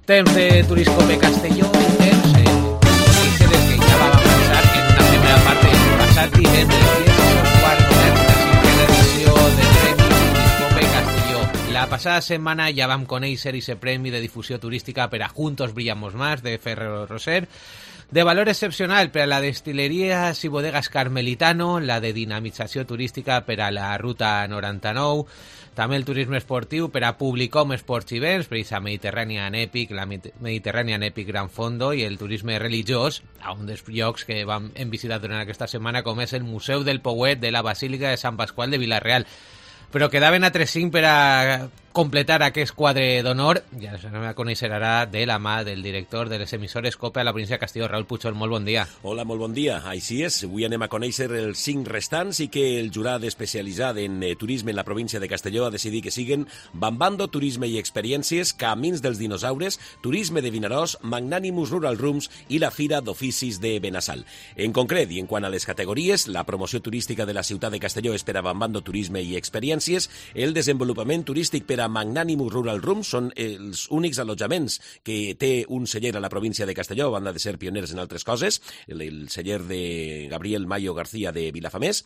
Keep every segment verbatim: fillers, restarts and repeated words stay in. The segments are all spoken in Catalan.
Temps de Turiscope Castelló i temps eh, del que ja va avançar en una primera part del passat divendres i és el quart moment de la cinquena edició del Premi Turiscope Castelló. La passada setmana ja vam conèixer aquest premi de difusió turística per a Juntos Brillamos Más de Ferrero Rocher, de valor excepcional per a la Destilerías i Bodegas Carmelitano, la de dinamització turística per a la Ruta noranta-nou, també el turisme esportiu per a Publicom Sports Events, per a Mediterranean Epic, la Mediterranean Epic Gran Fondo, i el turisme religiós, a un dels llocs que vam hem visitat durant aquesta setmana, com és el Museu del Pouet de la Basílica de Sant Pasqual de Vila-real. Però quedaven altres cinc per a completar aquest quadre d'honor, ja ens anem a conèixer ara de la mà del director de les emissores COPE a la província de Castelló, Raúl Puchol. Molt bon dia. Hola, molt bon dia. Així és, avui anem a conèixer els cinc restants i que el jurat especialitzat en eh, turisme en la província de Castelló ha decidit que siguen Bambando Turisme i Experiències, Camins dels Dinosaures, Turisme de Vinaròs, Magnanimus Rural Rooms i la Fira d'Oficis de Benassal. En concret, i en quant a les categories, la promoció turística de la ciutat de Castelló és per a Bambando Turisme i Experiències, el desenvolupament turístic per a Magnanimus Rural Rooms són els únics allotjaments que té un celler a la província de Castelló, a banda de ser pioners en altres coses, el, el celler de Gabriel Mayo García de Vilafamés.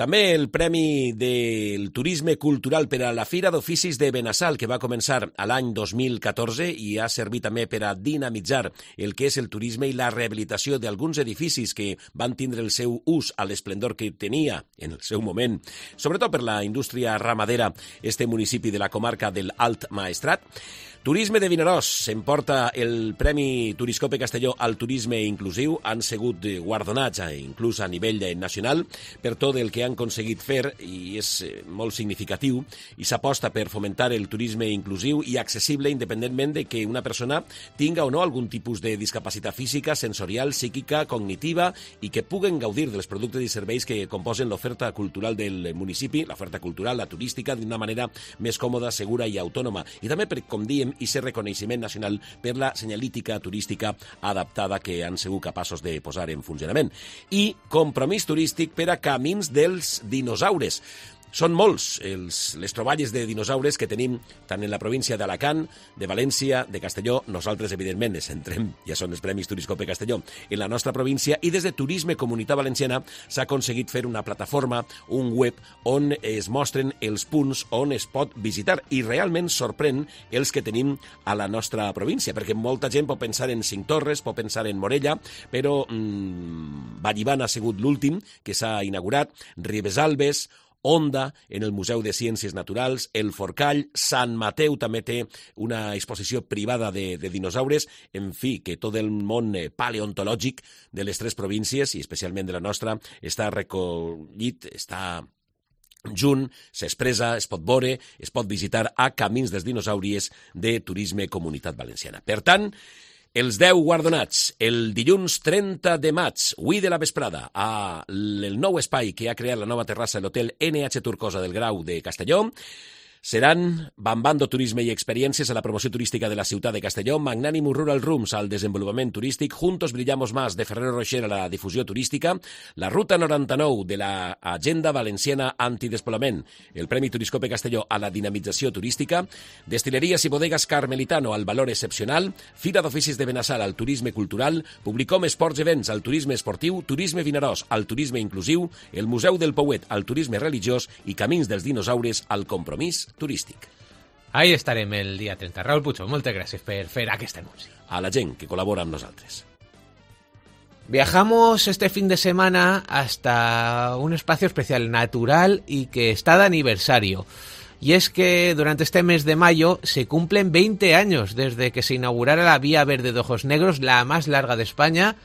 També el Premi del Turisme Cultural per a la Fira d'Oficis de Benassal, que va començar a l'any dos mil catorze i ha servit també per a dinamitzar el que és el turisme i la rehabilitació d'alguns edificis que van tindre el seu ús a l'esplendor que tenia en el seu moment, sobretot per la indústria ramadera, este municipi de la comarca del Alt Maestrat. Turisme de Vinaròs s'emporta el Premi Turiscope Castelló al turisme inclusiu. Han sigut guardonats, inclús a nivell nacional, per tot el que han aconseguit fer, i és molt significatiu, i s'aposta per fomentar el turisme inclusiu i accessible independentment de que una persona tinga o no algun tipus de discapacitat física, sensorial, psíquica, cognitiva, i que puguen gaudir dels productes i serveis que composen l'oferta cultural del municipi, l'oferta cultural, la turística, d'una manera més còmoda, segura i autònoma. I també, per, com diem, i ser reconeixement nacional per la senyalítica turística adaptada que han sigut capaços de posar en funcionament. I compromís turístic per a Camins dels Dinosaures. Són molts els, les troballes de dinosaures que tenim tant en la província d'Alacant, de València, de Castelló. Nosaltres, evidentment, ens centrem, ja són els Premis Turiscope Castelló, en la nostra província, i des de Turisme Comunitat Valenciana s'ha aconseguit fer una plataforma, un web, on es mostren els punts on es pot visitar, i realment sorprèn els que tenim a la nostra província, perquè molta gent pot pensar en Cinc Torres, pot pensar en Morella, però mmm, Vallivana ha sigut l'últim que s'ha inaugurat, Ribesalbes, Onda, en el Museu de Ciències Naturals, el Forcall, Sant Mateu també té una exposició privada de, de dinosaures, en fi, que tot el món paleontològic de les tres províncies, i especialment de la nostra, està recollit, està junt, s'expressa, es pot veure, es pot visitar a Camins dels Dinosauries de Turisme Comunitat Valenciana. Per tant, els deu guardonats, el dilluns trenta de maig, avui de la vesprada, a el nou espai que ha creat la nova terrassa de l'hotel N H Turcosa del Grau de Castelló, seran Bambando Turisme i Experiències a la promoció turística de la ciutat de Castelló, Magnanimus Rural Rooms al desenvolupament turístic, Juntos Brillamos Más de Ferrero Rocher a la difusió turística, la Ruta noranta-nou de la Agenda Valenciana Antidespoblament, el Premi Turiscope Castelló a la dinamització turística, Destilerías i Bodegas Carmelitano al valor excepcional, Fira d'Oficis de Benassal al turisme cultural, Publicom Sports Events al turisme esportiu, Turisme Vinaròs al turisme inclusiu, el Museu del Pouet al turisme religiós i Camins dels Dinosaures al compromís turístic. Ahí estarem el dia trenta. Raúl Puchol, moltes gràcies per fer aquest anunci. A la gent que col·labora amb nosaltres. Viajamos este fin de semana hasta un espacio especial, natural y que está de aniversario. Y es que durante este mes de mayo se cumplen veinte años desde que se inaugurara la Vía Verde de Ojos Negros, la más larga de España,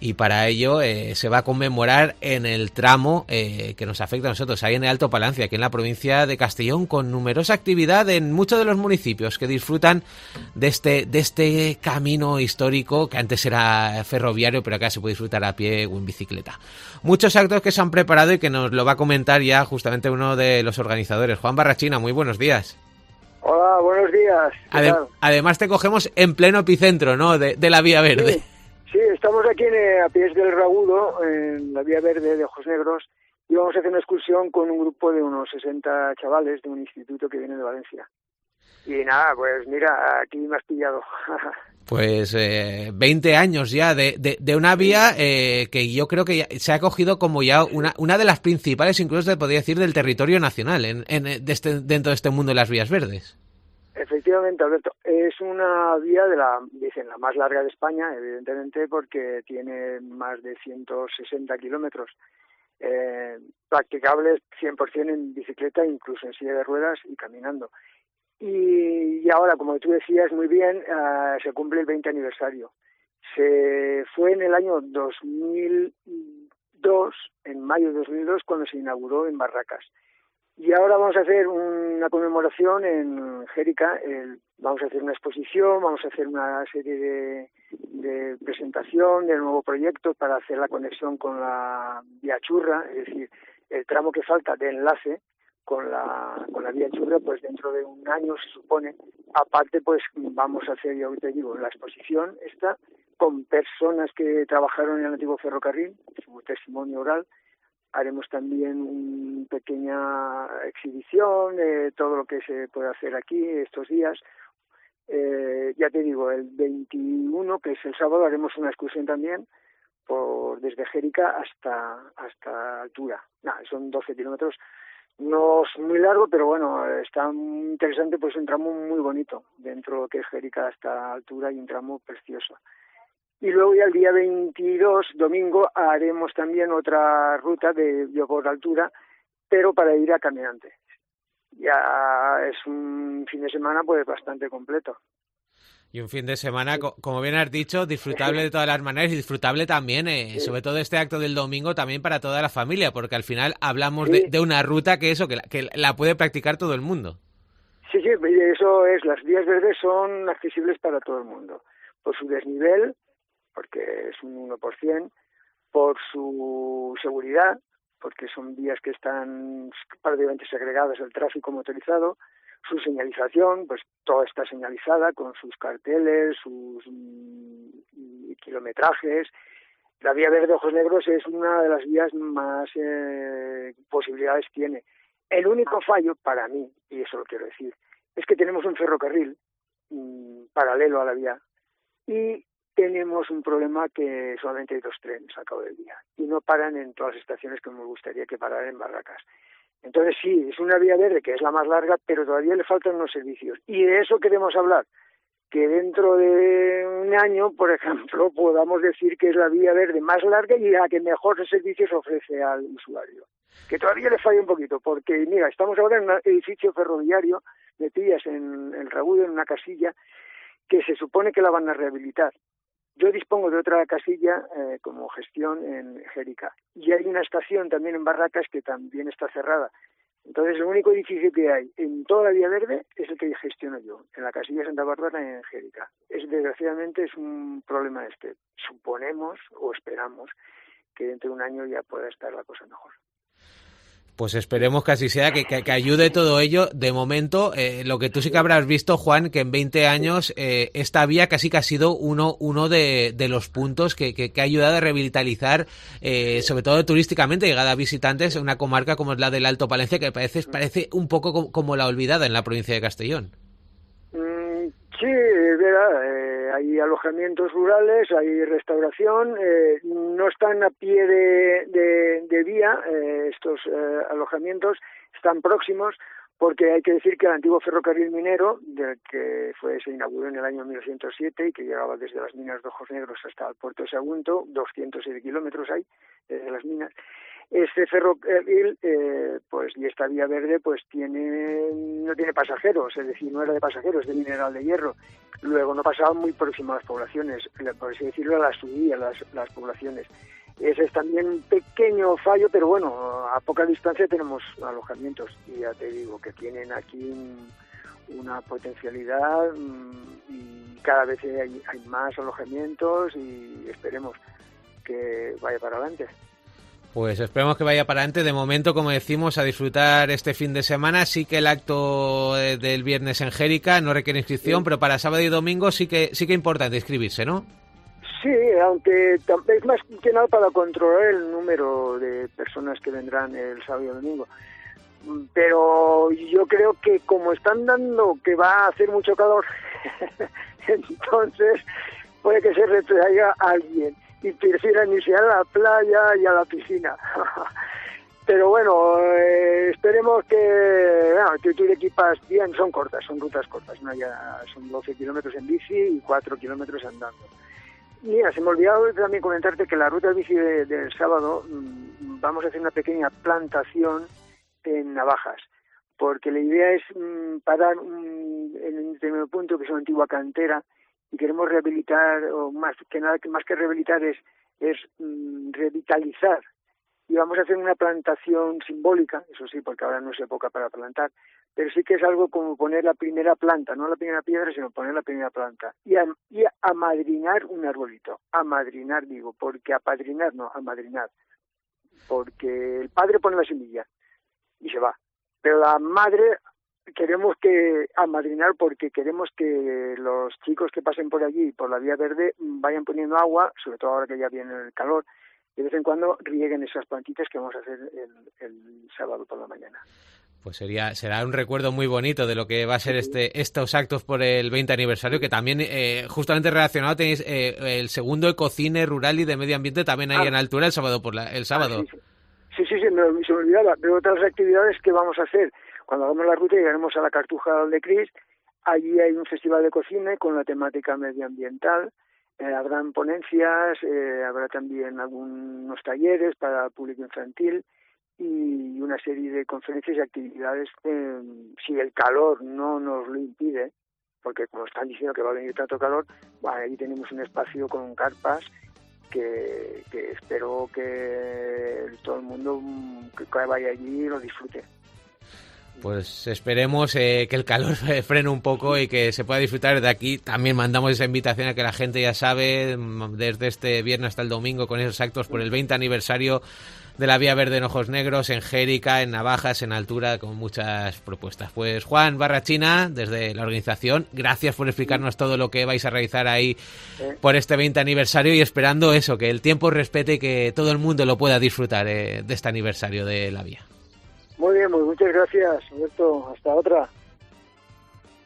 y para ello eh, se va a conmemorar en el tramo eh, que nos afecta a nosotros, ahí en el Alto Palancia, aquí en la provincia de Castellón, con numerosa actividad en muchos de los municipios que disfrutan de este, de este camino histórico que antes era ferroviario, pero acá se puede disfrutar a pie o en bicicleta. Muchos actos que se han preparado y que nos lo va a comentar ya justamente uno de los organizadores, Juan Barrachina. Muy buenos días. Hola, buenos días. Adem- además te cogemos en pleno epicentro, ¿no?, de, de la Vía Verde. Sí. Sí, estamos aquí en, a pies del Ragudo, en la Vía Verde de Ojos Negros, y vamos a hacer una excursión con un grupo de unos sesenta chavales de un instituto que viene de Valencia. Y nada, pues mira, aquí me has pillado. Pues eh, veinte años ya de, de, de una vía eh, que yo creo que ya se ha cogido como ya una, una de las principales, incluso se podría decir, del territorio nacional en, en de este, dentro de este mundo de las vías verdes. Efectivamente, Alberto, es una vía de la, dicen, la más larga de España, evidentemente, porque tiene más de ciento sesenta kilómetros, eh, practicables cien por ciento en bicicleta, incluso en silla de ruedas y caminando. Y, y ahora, como tú decías muy bien, uh, se cumple el veinte aniversario. Se fue en el año dos mil dos, en mayo de dos mil dos, cuando se inauguró en Barracas. Y ahora vamos a hacer una conmemoración en Jérica, el, vamos a hacer una exposición, vamos a hacer una serie de, de presentación del nuevo proyecto para hacer la conexión con la vía Churra, es decir, el tramo que falta de enlace con la con la vía Churra, pues dentro de un año se supone. Aparte, pues vamos a hacer, yo te digo, la exposición esta con personas que trabajaron en el antiguo ferrocarril, su testimonio oral. Haremos también una pequeña exhibición de todo lo que se puede hacer aquí estos días. Eh, ya te digo, el veintiuno, que es el sábado, haremos una excursión también por desde Jérica hasta hasta Altura. Nah, son doce kilómetros. No es muy largo, pero bueno, está muy interesante, pues un tramo muy bonito dentro que es Jérica hasta Altura y un tramo precioso. Y luego ya el día veintidós, domingo, haremos también otra ruta de por Altura, pero para ir a caminante. Ya es un fin de semana pues bastante completo. Y un fin de semana, como bien has dicho, disfrutable de todas las maneras y disfrutable también, eh, sí. sobre todo este acto del domingo, también para toda la familia, porque al final hablamos sí. de, de una ruta que eso, que la, que la puede practicar todo el mundo. Sí, sí, eso es, las vías verdes son accesibles para todo el mundo, por su desnivel, porque es un uno por ciento, por su seguridad, porque son vías que están prácticamente segregadas al tráfico motorizado, su señalización, pues toda está señalizada con sus carteles, sus mm, kilometrajes. La vía verde Ojos Negros es una de las vías más eh, posibilidades tiene. El único fallo para mí, y eso lo quiero decir, es que tenemos un ferrocarril mmm, paralelo a la vía y tenemos un problema que solamente hay dos trenes al cabo del día y no paran en todas las estaciones que me gustaría que pararan en Barracas. Entonces sí, es una vía verde que es la más larga, pero todavía le faltan unos servicios. Y de eso queremos hablar, que dentro de un año, por ejemplo, podamos decir que es la vía verde más larga y la que mejores servicios ofrece al usuario. Que todavía le falla un poquito, porque mira, estamos ahora en un edificio ferroviario, me pillas en el Ragudo, en una casilla, que se supone que la van a rehabilitar. Yo dispongo de otra casilla eh, como gestión en Jérica y hay una estación también en Barracas que también está cerrada. Entonces el único edificio que hay en toda la Vía Verde es el que gestiono yo, en la casilla Santa Bárbara en Jérica. Es, desgraciadamente es un problema este. Suponemos o esperamos que dentro de un año ya pueda estar la cosa mejor. Pues esperemos que así sea, que, que, que ayude todo ello. De momento, eh, lo que tú sí que habrás visto, Juan, que en veinte años eh, esta vía casi que ha sido uno uno de, de los puntos que, que, que ha ayudado a revitalizar, eh, sobre todo turísticamente, llegada a visitantes, una comarca como es la del Alto Palencia, que parece, parece un poco como, como la olvidada en la provincia de Castellón. Mm, sí, es verdad. Eh, hay alojamientos rurales, hay restauración, eh, no están a pie de, de, de vía eh, estos eh, alojamientos, están próximos, porque hay que decir que el antiguo ferrocarril minero, del que fue se inauguró en el año mil novecientos siete y que llegaba desde las minas de Ojos Negros hasta el puerto de Sagunto, doscientos siete kilómetros hay desde las minas. Este ferrocarril, eh, pues y esta vía verde, pues tiene no tiene pasajeros, es decir, no era de pasajeros, de mineral de hierro. Luego no pasaban muy próximo a las poblaciones, por así decirlo, las subía las, las poblaciones. Ese es también un pequeño fallo, pero bueno, a poca distancia tenemos alojamientos y ya te digo que tienen aquí una potencialidad y cada vez hay, hay más alojamientos y esperemos que vaya para adelante. Pues esperemos que vaya para adelante. De momento, como decimos, a disfrutar este fin de semana. Sí que el acto del viernes en Jérica no requiere inscripción, sí. Pero para sábado y domingo sí que sí que es importante inscribirse, ¿no? Sí, aunque es más que nada para controlar el número de personas que vendrán el sábado y domingo. pero yo creo que como están dando que va a hacer mucho calor, entonces puede que se retraiga alguien y prefieran irse a la playa y a la piscina. Pero bueno, eh, esperemos que, bueno, que tú te equipas bien, son cortas, son rutas cortas, ¿no? Ya son doce kilómetros en bici y cuatro kilómetros andando. Mira, se me ha olvidado también comentarte que la ruta de bici de, del sábado mmm, vamos a hacer una pequeña plantación en Navajas, porque la idea es mmm, parar un, en un determinado punto que es una antigua cantera y queremos rehabilitar, o más que nada, más que rehabilitar es, es mmm, revitalizar. Y vamos a hacer una plantación simbólica, eso sí, porque ahora no es época para plantar, pero sí que es algo como poner la primera planta, no la primera piedra, sino poner la primera planta. Y, a, y amadrinar un arbolito, amadrinar digo, porque apadrinar no, amadrinar. Porque el padre pone la semilla y se va, pero la madre queremos que amadrinar porque queremos que los chicos que pasen por allí, por la vía verde, vayan poniendo agua, sobre todo ahora que ya viene el calor, de vez en cuando rieguen esas plantitas que vamos a hacer el, el sábado por la mañana. Pues sería será un recuerdo muy bonito de lo que va a ser este estos actos por el veinte aniversario, que también eh, justamente relacionado tenéis eh, el segundo ecocine rural y de medio ambiente también ahí ah, en altura el sábado por la, el sábado. Ah, sí, sí, sí, sí, sí me, se me olvidaba. Pero otras actividades que vamos a hacer cuando hagamos la ruta, llegaremos a la Cartuja de Cris. Allí hay un festival de cocina con la temática medioambiental. Eh, habrán ponencias, eh, habrá también algunos talleres para el público infantil y una serie de conferencias y actividades, eh, si el calor no nos lo impide, porque como están diciendo que va a venir tanto calor, bueno, ahí tenemos un espacio con carpas que, que espero que todo el mundo que vaya allí lo disfrute. Pues esperemos eh, que el calor frene un poco y que se pueda disfrutar de aquí. También mandamos esa invitación a que la gente ya sabe, desde este viernes hasta el domingo, con esos actos por el veinte aniversario de la Vía Verde en Ojos Negros, en Jérica, en Navajas, en altura, con muchas propuestas. Pues Juan Barrachina, desde la organización, gracias por explicarnos todo lo que vais a realizar ahí por este veinte aniversario y esperando eso, que el tiempo respete y que todo el mundo lo pueda disfrutar eh, de este aniversario de la Vía. Molt bé, muchas gracias, Alberto. Hasta otra.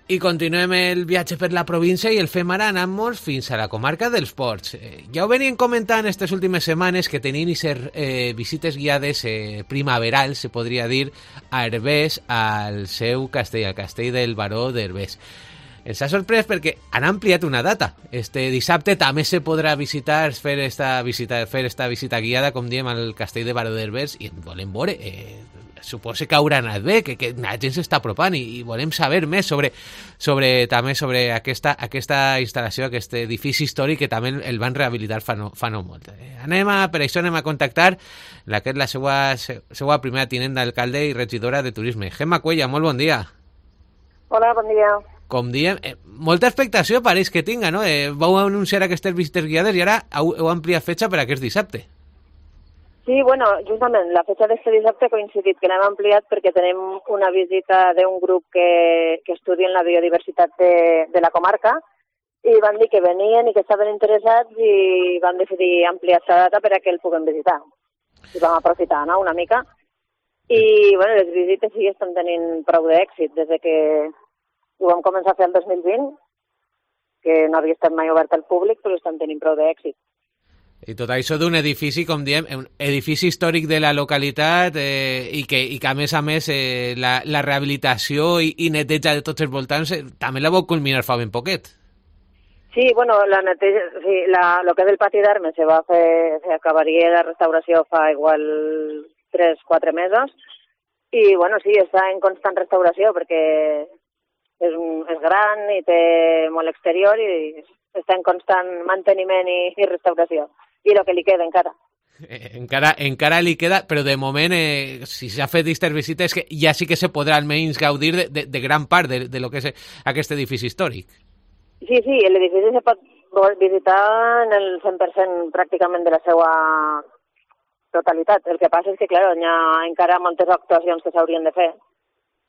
I continuem el viatge per la província i el fem ara anant-nos fins a la comarca dels Ports. Eh, ja ho venien comentant aquestes últimes setmanes que tenien ser eh, visites guiades eh, primaverals, se podria dir, a Herbers, al seu castell, al castell del Baró d'Herbers. Ens ha sorprès perquè han ampliat una data. Este dissabte també se podrà visitar, fer esta visita, fer esta visita guiada, com diem, al castell de Baró d'Herbers, i volem veure... Eh, suposo que haurà anat bé, que, que la gent s'està apropant i, i volem saber més sobre, sobre també sobre aquesta, aquesta instal·lació, aquest edifici històric que també el van rehabilitar fa no, fa no molt. Eh, anem a, per això anem a contactar la que és la seva, seva primera tinent d'alcalde i regidora de turisme. Gemma Cuella, molt bon dia. Hola, bon dia. Com diem, eh, molta expectació pareix que tinga, no? Eh, vau anunciar aquestes visites guiades i ara heu, heu ampliat fetge per aquest dissabte. Sí, bueno, justament la fecha d'este dissabte ha coincidit que l'hem ampliat perquè tenim una visita d'un grup que, que estudien la biodiversitat de, de la comarca i van dir que venien i que estaven interessats i van decidir ampliar aquesta data per a que el puguem visitar. I vam aprofitar, no?, una mica. I, bueno, les visites sí estan tenint prou d'èxit des de que ho vam començar a fer el dos mil vint, que no havia estat mai obert al públic, però estan tenint prou d'èxit. I tot això d'un edifici, com diem, un edifici històric de la localitat eh, i, que, i que, a més a més, eh, la, la rehabilitació i, i neteja de tots els voltants eh, també la vau culminar fa ben poquet. Sí, bueno, la neteja, sí, la, lo que és el pati d'armes se va fer, se acabaria la restauració fa igual tres o quatre mesos i, bueno, sí, està en constant restauració perquè és, un, és gran i té molt exterior i està en constant manteniment i, i restauració. I el que li queda encara. Eh, encara, encara li queda, però de moment, eh, si s'ha fet aquestes visites, que ja sí que se podrà almenys gaudir de, de, de gran part de, de lo que és aquest edifici històric. Sí, sí, l'edifici se pot visitar en el cent per cent pràcticament de la seva totalitat. El que passa és que, clar, hi ha encara moltes actuacions que s'haurien de fer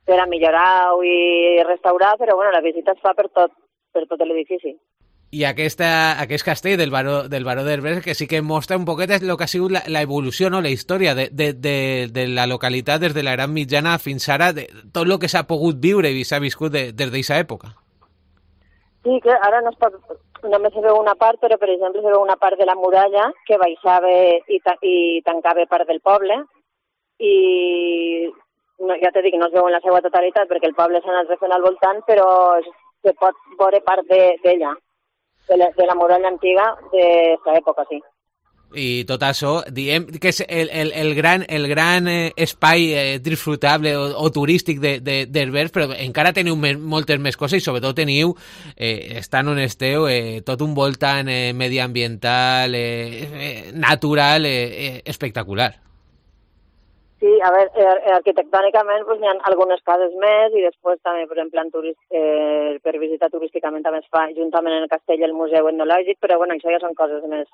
per a millorar i restaurar, però bueno, la visita es fa per tot, per tot l'edifici. I aquesta, aquest castell del Baró, del Baró d'Herbers, que sí que mostra un poquet el que ha sigut la, la evolució, no? La història de, de, de, de la localitat des de la Gran Mitjana fins ara, de tot el que s'ha pogut viure i s'ha viscut de, des d'aquesta època. Sí, que ara no es pot, només se veu una part, però per exemple se veu una part de la muralla que baixava i, ta, i tancava part del poble, i no, ja t'he dit que no es veu en la seva totalitat perquè el poble s'ha anat refent al voltant, però se pot veure part d'ella. De, De la, de la muralla antiga d'aquesta època, sí. I tot això, diem que és el, el, el gran, el gran eh, espai eh, disfrutable o, o turístic d'Herbers, de, de però encara teniu me, moltes més coses i sobretot teniu, eh, estant on esteu, eh, tot un voltant eh, mediambiental, eh, eh, natural, eh, eh, espectacular. Sí, a veure, arquitectònicament pues, hi ha algunes cases més i després també, per exemple, en turist, eh, per visitar turísticament també es fa juntament en el castell el museu etnològic, però bueno, això ja són coses més,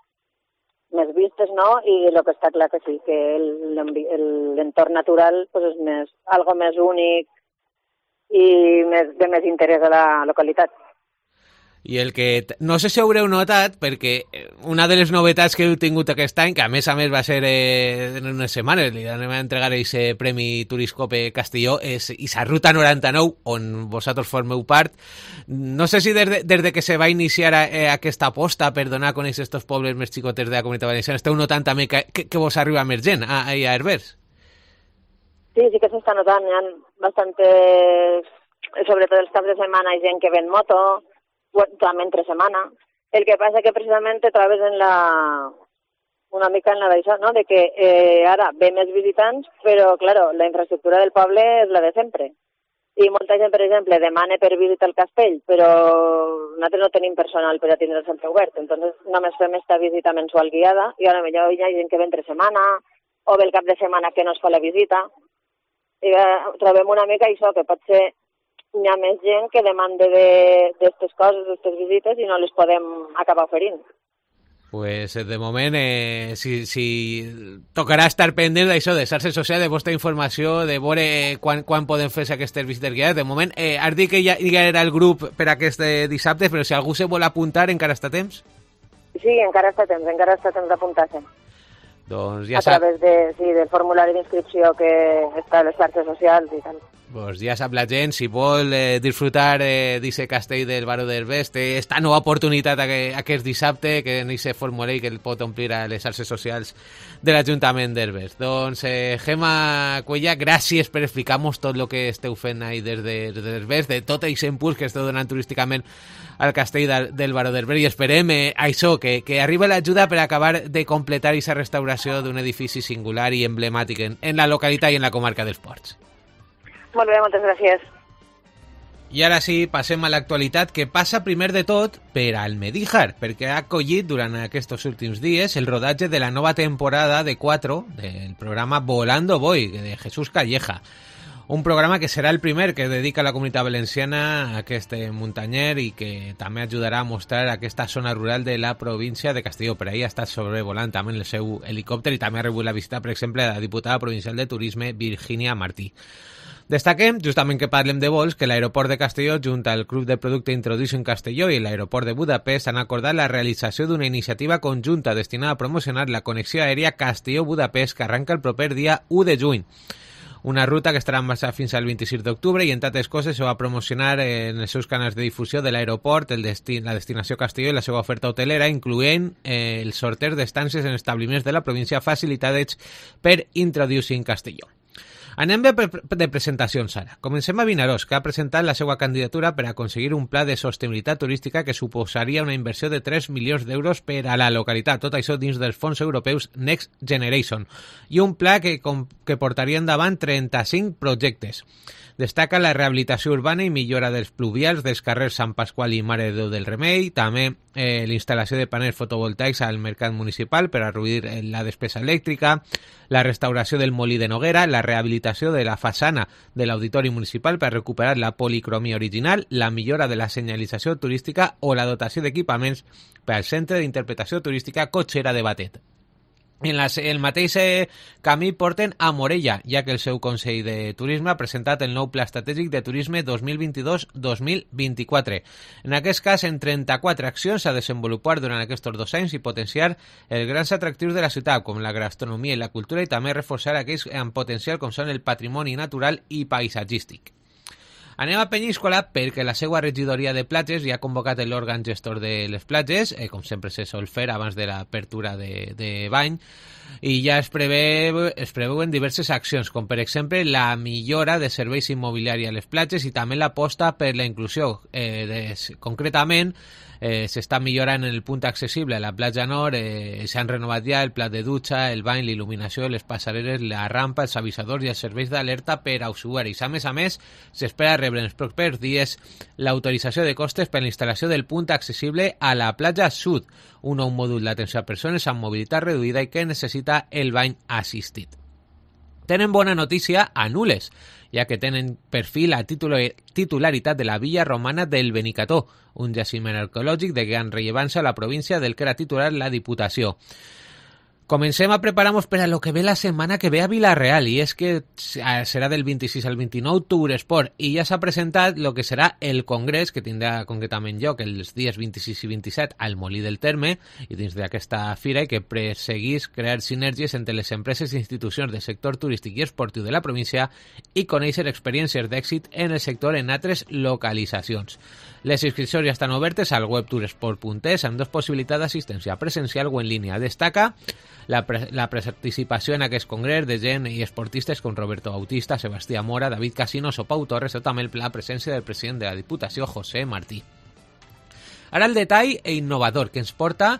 més vistes, no? I el que està clar que sí, que l'entorn natural pues, és més, algo més únic i més, de més interès a la localitat. I el que, no sé si haureu notat, perquè una de les novetats que heu tingut aquest any, que a més a més va ser eh, en unes setmanes, li anem a entregar aquest Premi Turiscope Castelló, és aquesta Ruta noranta-nou, on vosaltres formeu part. No sé si des de, des de que se va iniciar eh, aquesta aposta per donar a conèixer aquests pobles més xicotes de la comunitat valenciana, esteu notant també que, que, que vos arriba més gent a, a Herbers? Sí, sí que s'està notant, hi ha bastantes, sobretot els caps de setmana, hi ha gent que ven moto, també entre setmana. El que passa que precisament te trobes en la, una mica en la d'això, no? De que eh, ara ve més visitants, però, claro, la infraestructura del poble és la de sempre. I molta gent, per exemple, demana per visitar el castell, però nosaltres no tenim personal per atendre el centre obert, entonces només fem esta visita mensual guiada, i ara millor hi ha gent que ve entre setmana, o ve el cap de setmana que no es fa la visita. I eh, trobem una mica això, que pot ser hi ha més gent que demanda d'aquestes coses, d'aquestes visites, i no les podem acabar oferint. Pues de moment, eh, si, si tocarà estar pendent d'això, de xarxes socials, de vostra informació, de veure quan, quan podem fer aquestes visites guiades. De moment, eh, has dit que ja, ja era el grup per aquest dissabte, però si algú se vol apuntar, encara està a temps? Sí, encara està a temps, encara està a temps d'apuntar-se. Doncs ja a través de, sí, del formulari d'inscripció que està a les xarxes socials i tal. Pues ja sap la gent, si vol eh, disfrutar eh, d'aquest castell del Baró d'Herbers, té esta nova oportunitat aquest, aquest dissabte, que en aquest formulari que el pot omplir a les xarxes socials de l'Ajuntament d'Herbers. Doncs, eh, Gemma Cuella, gràcies per explicar-nos tot el que esteu fent ahí des d'Herbers, de tot aquest impuls que esteu donant turísticament al castell del, del Baró d'Herbers, i esperem eh, això, que, que arribi l'ajuda per acabar de completar aquesta restauració d'un edifici singular i emblemàtic en, en la localitat i en la comarca dels Ports. Molt bé, moltes gràcies. I ara sí, passem a l'actualitat, que passa primer de tot per Almedíjar, perquè ha acollit durant aquests últims dies el rodatge de la nova temporada de quatre del programa Volando Voy, de Jesús Calleja. Un programa que serà el primer que dedica a la comunitat valenciana a aquest muntanyer i que també ajudarà a mostrar aquesta zona rural de la província de Castelló. Per ahir ha estat sobrevolant també el seu helicòpter i també ha rebut la visita, per exemple, de la diputada provincial de Turisme, Virginia Martí. Destaquem, justament que parlem de vols, que l'aeroport de Castelló, junt al Club de Producte Introduction Castelló i l'aeroport de Budapest, han acordat la realització d'una iniciativa conjunta destinada a promocionar la connexió aèria Castelló-Budapest, que arranca el proper dia u de juny. Una ruta que estarà en marxa fins al vint-i-sis d'octubre i, entre altres coses, se va promocionar en els seus canals de difusió de l'aeroport, el destí, la destinació Castelló i la seva oferta hotelera, incloent eh, el sorteig d'estàncies en establiments de la província facilitades per Introducing Castelló. Anem bé de presentacions ara. Comencem a Vinaròs, que ha presentat la seva candidatura per aconseguir un pla de sostenibilitat turística que suposaria una inversió de tres milions d'euros per a la localitat. Tot això dins dels fons europeus Next Generation. I un pla que, que portaria endavant trenta-cinc projectes. Destaca la rehabilitació urbana i millora dels pluvials dels carrers Sant Pasqual i Mare de Déu del Remei, també eh, la instal·lació de panells fotovoltaics al mercat municipal per a reduir la despesa elèctrica, la restauració del molí de Noguera, la rehabilitació de la façana de l'auditori municipal per recuperar la policromia original, la millora de la senyalització turística o la dotació d'equipaments per al Centre d'Interpretació Turística Cotxera de Batet. En la, el mateix eh, camí porten a Morella, ja que el seu Consell de Turisme ha presentat el nou Pla Estratègic de Turisme dos mil vint-i-dos dos mil vint-i-quatre. En aquest cas, en trenta-quatre accions a desenvolupar durant aquests dos anys i potenciar els grans atractius de la ciutat, com la gastronomia i la cultura, i també reforçar aquells amb potencial com són el patrimoni natural i paisatgístic. Anem a Penyíscola perquè la seva regidoria de platges ja ha convocat l'òrgan gestor de les platges, eh, com sempre se sol fer abans de l'apertura de, de bany, i ja es, preveu, es preveuen diverses accions, com per exemple la millora de serveis immobiliaris a les platges i també l'aposta per la inclusió. Eh, de, concretament, eh, s'està millorant el punt accessible a la platja nord, eh, s'han renovat ja el plat de dutxa, el bany, l'il·luminació, les passareres, la rampa, els avisadors i els serveis d'alerta per a usuaris. A més a més, s'espera rebre en els propers dies l'autorització de costes per a la instal·lació del punt accessible a la platja sud, un nou mòdul d'atenció a persones amb mobilitat reduïda i que necessita el bany assistit. Tenen bona notícia a Nules, ja que tenen per fi la titularitat de la villa romana del Benicató, un jaciment arqueològic de gran rellevància a la província del que era titular la Diputació. Comencem a preparar-nos per a lo que ve la setmana que ve a Vila-real, i és que serà del vint-i-sis al vint-i-nou Touresport, i ja s'ha presentat el que serà el congrés, que tindrà concretament lloc els dies vint-i-sis i vint-i-set al Molí del Terme, i dins d'aquesta fira que perseguís crear sinergies entre les empreses i institucions del sector turístic i esportiu de la província i conèixer experiències d'èxit en el sector en altres localitzacions. Les inscripcions ja estan obertes al web touresport punt es amb dues possibilitats d'assistència presencial o en línia. Destaca la, pre la participació en aquest congrés de gent i esportistes com Roberto Bautista, Sebastià Mora, David Casinos o Pau Torres, o també la presència del president de la Diputació, José Martí. Ara el detall e innovador que ens porta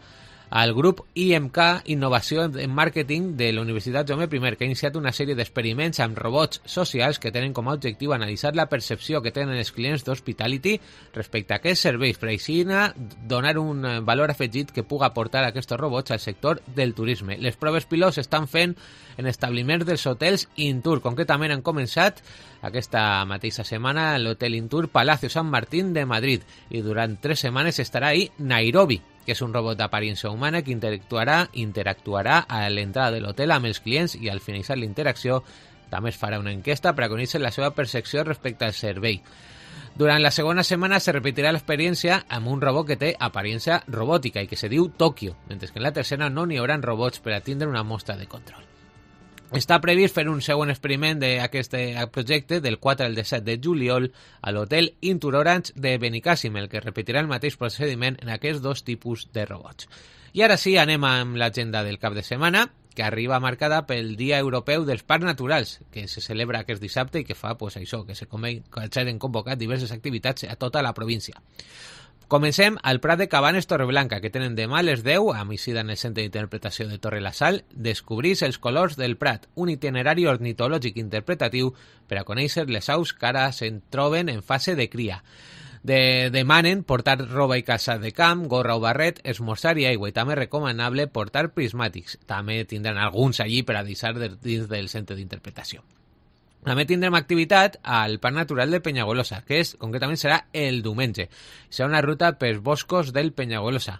al grup I M K Innovació en Màrqueting de la Universitat Jaume I, que ha iniciat una sèrie d'experiments amb robots socials que tenen com a objectiu analitzar la percepció que tenen els clients d'Hospitality respecte a aquests serveis, per així donar un valor afegit que puga aportar aquests robots al sector del turisme. Les proves pilots s'estan fent en establiments dels hotels Intour. Concretament han començat aquesta mateixa setmana l'hotel Intour Palacio San Martín de Madrid, i durant tres setmanes estarà ahí Nairobi, que és un robot d'aparença humana que interactuarà, interactuarà a l'entrada de l'hotel amb els clients, i al finalitzar la interacció també es farà una enquesta per a conèixer la seva percepció respecte al servei. Durant la segona setmana se repetirà l'experiència amb un robot que té aparença robòtica i que se diu Tokyo, mentre que en la tercera no n'hi haurà robots per a tindre una mostra de control. Està previst fer un segon experiment d'aquest projecte del quatre al disset de juliol a l'hotel Intour Orange de Benicàssim, el que repetirà el mateix procediment en aquests dos tipus de robots. I ara sí, anem amb l'agenda del cap de setmana, que arriba marcada pel Dia Europeu dels Parcs Naturals, que se celebra aquest dissabte i que fa pues, això, que s'han convocat diverses activitats a tota la província. Comencem al Prat de Cabanes Torreblanca, que tenen demà a les deu, a migdia en el Centre d'Interpretació de Torre la Sal, descobrís els colors del Prat, un itinerari ornitològic interpretatiu per a conèixer les aus que ara se'n troben en fase de cria. De, demanen portar roba i calçat de camp, gorra o barret, esmorzar i aigua, i també recomanable portar prismàtics. També tindran alguns allí per a deixar de, dins del Centre d'Interpretació. També tindrem activitat al Parc Natural de Penyagolosa, que és, concretament serà el diumenge. Serà una ruta pels boscos del Penyagolosa.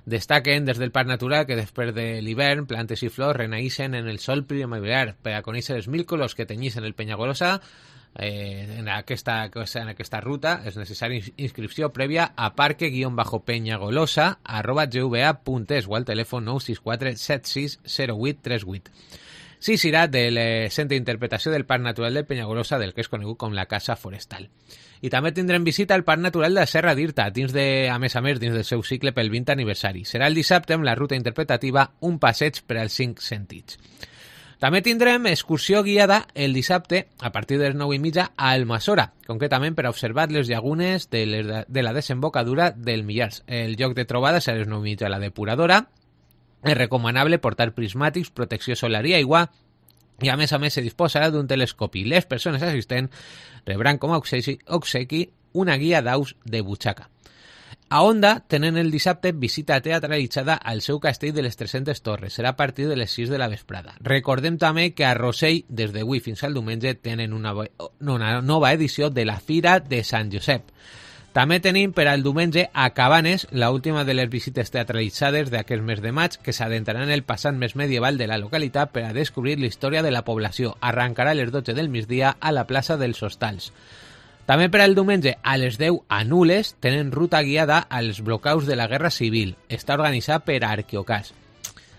Destaquen des del Parc Natural que després de l'hivern plantes i flors renaixen en el sol primaveral. Per a conèixer els mil colors que tenyissin el Penyagolosa, eh, en, aquesta, en aquesta ruta és necessària inscripció prèvia a parque-penyagolosa arroba gva punt es o al telèfon nou sis quatre set sis zero vuit tres vuit. Sí, serà del Centre d'Interpretació del Parc Natural de Penyagolosa, del que és conegut com la Casa Forestal. I també tindrem visita al Parc Natural de la Serra d'Irta, dins de, a més a més, dins del seu cicle pel vint aniversari. Serà el dissabte amb la ruta interpretativa Un passeig per als cinc sentits. També tindrem excursió guiada el dissabte a partir de les nou i mitja a Almassora, concretament per a observar les llagunes de, les, de la desembocadura del Millars. El lloc de trobada serà a les nou i mitja a la depuradora. És recomanable portar prismàtics, protecció solar i aigua, i a més a més se disposarà d'un telescopi. Les persones assistents rebran com a obsequi una guia d'aus de butxaca. A Onda tenen el dissabte visita teatralitzada al seu castell de les tres-centes Torres. Serà a partir de les sis de la vesprada. Recordem també que a Rossell, des d'avui fins al diumenge, tenen una, una nova edició de la Fira de Sant Josep. També tenim per al diumenge a Cabanes, la última de les visites teatralitzades d'aquest mes de maig, que s'adentrarà en el passat més medieval de la localitat per a descobrir la història de la població. Arrencarà a les dotze del migdia a la plaça dels Hostals. També per al diumenge a les deu a Nules tenen ruta guiada als blocaus de la Guerra Civil. Està organitzat per Arqueocas.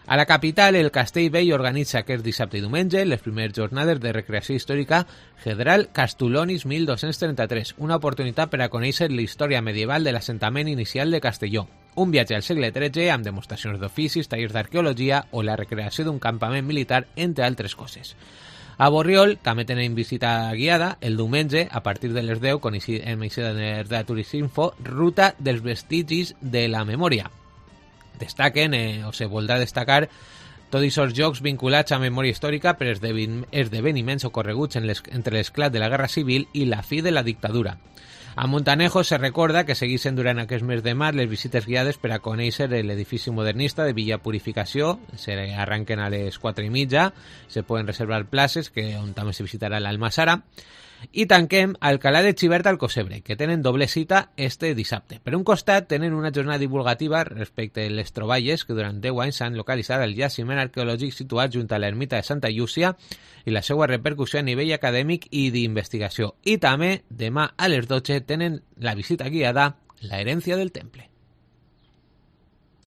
A la capital, el Castell Vell organitza aquest dissabte i diumenge les primeres jornades de recreació històrica General Castulonis mil dos-cents trenta-tres, una oportunitat per a conèixer la història medieval de l'assentament inicial de Castelló. Un viatge al segle tretze amb demostracions d'oficis, tallers d'arqueologia o la recreació d'un campament militar, entre altres coses. A Borriol també tenen visita guiada el diumenge a partir de les deu, con emissions de Turisminfo, ruta dels vestigis de la memòria. Destaquen, eh, o se voldrà destacar, tots aquests jocs vinculats a memòria històrica per esdeveniments ocorreguts en les, entre l'esclat de la Guerra Civil i la fi de la dictadura. A Montanejo se recorda que segueixen durant aquest mes de maig les visites guiades per a conèixer l'edifici modernista de Villa Purificació. Se arranquen a les quatre i mitja, se poden reservar places, que on també se visitarà l'Almassara. I tanquem Alcalá de Xivert al Cosebre, que tenen doble cita este dissabte. Per un costat, tenen una jornada divulgativa respecte a les troballes que durant deu anys s'han localitzat al jaciment arqueològic situat junt a l'ermita de Santa Llúcia i la seva repercussió a nivell acadèmic i d'investigació. I també, demà a les dotze, tenen la visita guiada La herencia del temple.